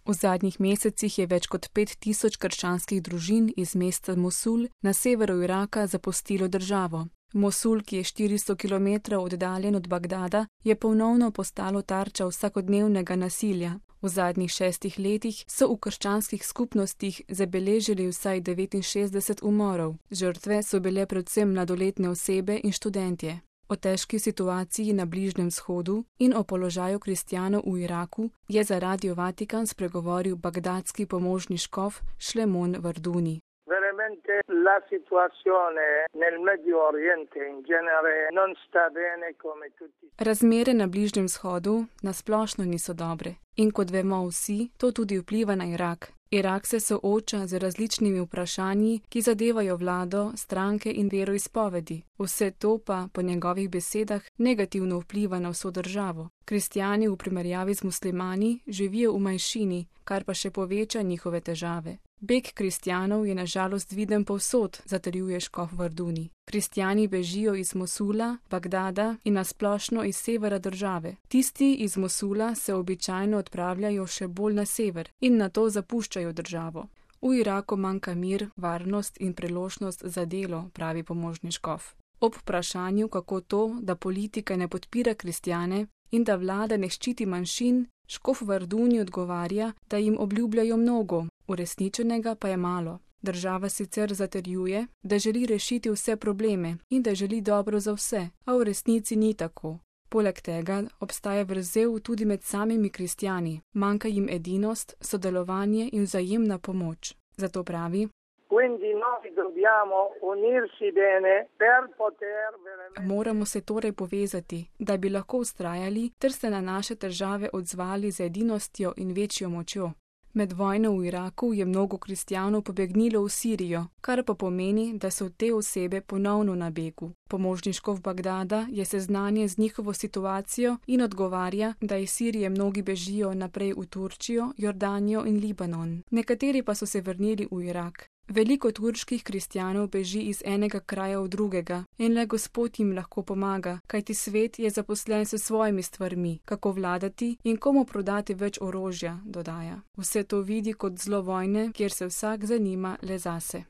V zadnjih mesecih je več kot 5000 krščanskih družin iz mesta Mosul na severu Iraka zapustilo državo. Mosul, ki je 400 km oddaljen od Bagdada, je ponovno postalo tarča vsakodnevnega nasilja. V zadnjih 6 letih so v krščanskih skupnostih zabeležili vsaj 69 umorov. Žrtve so bile predvsem mladoletne osebe in študentje. O težki situaciji na Bližnjem vzhodu in o položaju kristjanov v Iraku je za Radio Vatikan spregovoril bagdadski pomožni škof Šlemon Varduni. Veramente la situazione nel Medio Oriente in genere non sta bene come tutti. Razmere na Bližnjem vzhodu nasplošno niso dobre. In kot vemo vsi, to tudi vpliva na Irak. Irak se sooča z različnimi vprašanji, ki zadevajo vlado, stranke in veroizpovedi. Vse to pa, po njegovih besedah, negativno vpliva na vso državo. Kristjani v primerjavi z muslimani živijo v manjšini, kar pa še poveča njihove težave. Beg kristjanov je na žalost viden povsod, zatrjuje škof Varduni. Kristjani bežijo iz Mosula, Bagdada in nasplošno iz severa države. Tisti iz Mosula se običajno odpravljajo še bolj na sever in nato zapuščajo državo. V Iraku manjka mir, varnost in priložnost za delo, pravi pomožni škof. Ob vprašanju, kako to, da politika ne podpira kristjane in da vlada ne ščiti manjšin, škof Varduni odgovarja, da jim obljubljajo mnogo, uresničenega pa je malo. Država sicer zatrjuje, da želi rešiti vse probleme in da želi dobro za vse, a v resnici ni tako. Poleg tega obstaja vrzel tudi med samimi kristjani, manjka jim edinost, sodelovanje in vzajemna pomoč. Zato pravi: moramo se torej povezati, da bi lahko vztrajali ter se na naše težave odzvali z edinostjo in večjo močjo. Med vojno v Iraku je mnogo kristjanov pobegnilo v Sirijo, kar pa pomeni, da so te osebe ponovno na begu. Pomožni škof Bagdada je seznanjen z njihovo situacijo in odgovarja, da iz Sirije mnogi bežijo naprej v Turčijo, Jordanijo in Libanon. Nekateri pa so se vrnili v Irak. Veliko turških kristjanov beži iz enega kraja v drugega in le Gospod jim lahko pomaga, kajti svet je zaposlen s svojimi stvarmi, kako vladati in komu prodati več orožja, dodaja. Vse to vidi kot zlo vojne, kjer se vsak zanima le zase.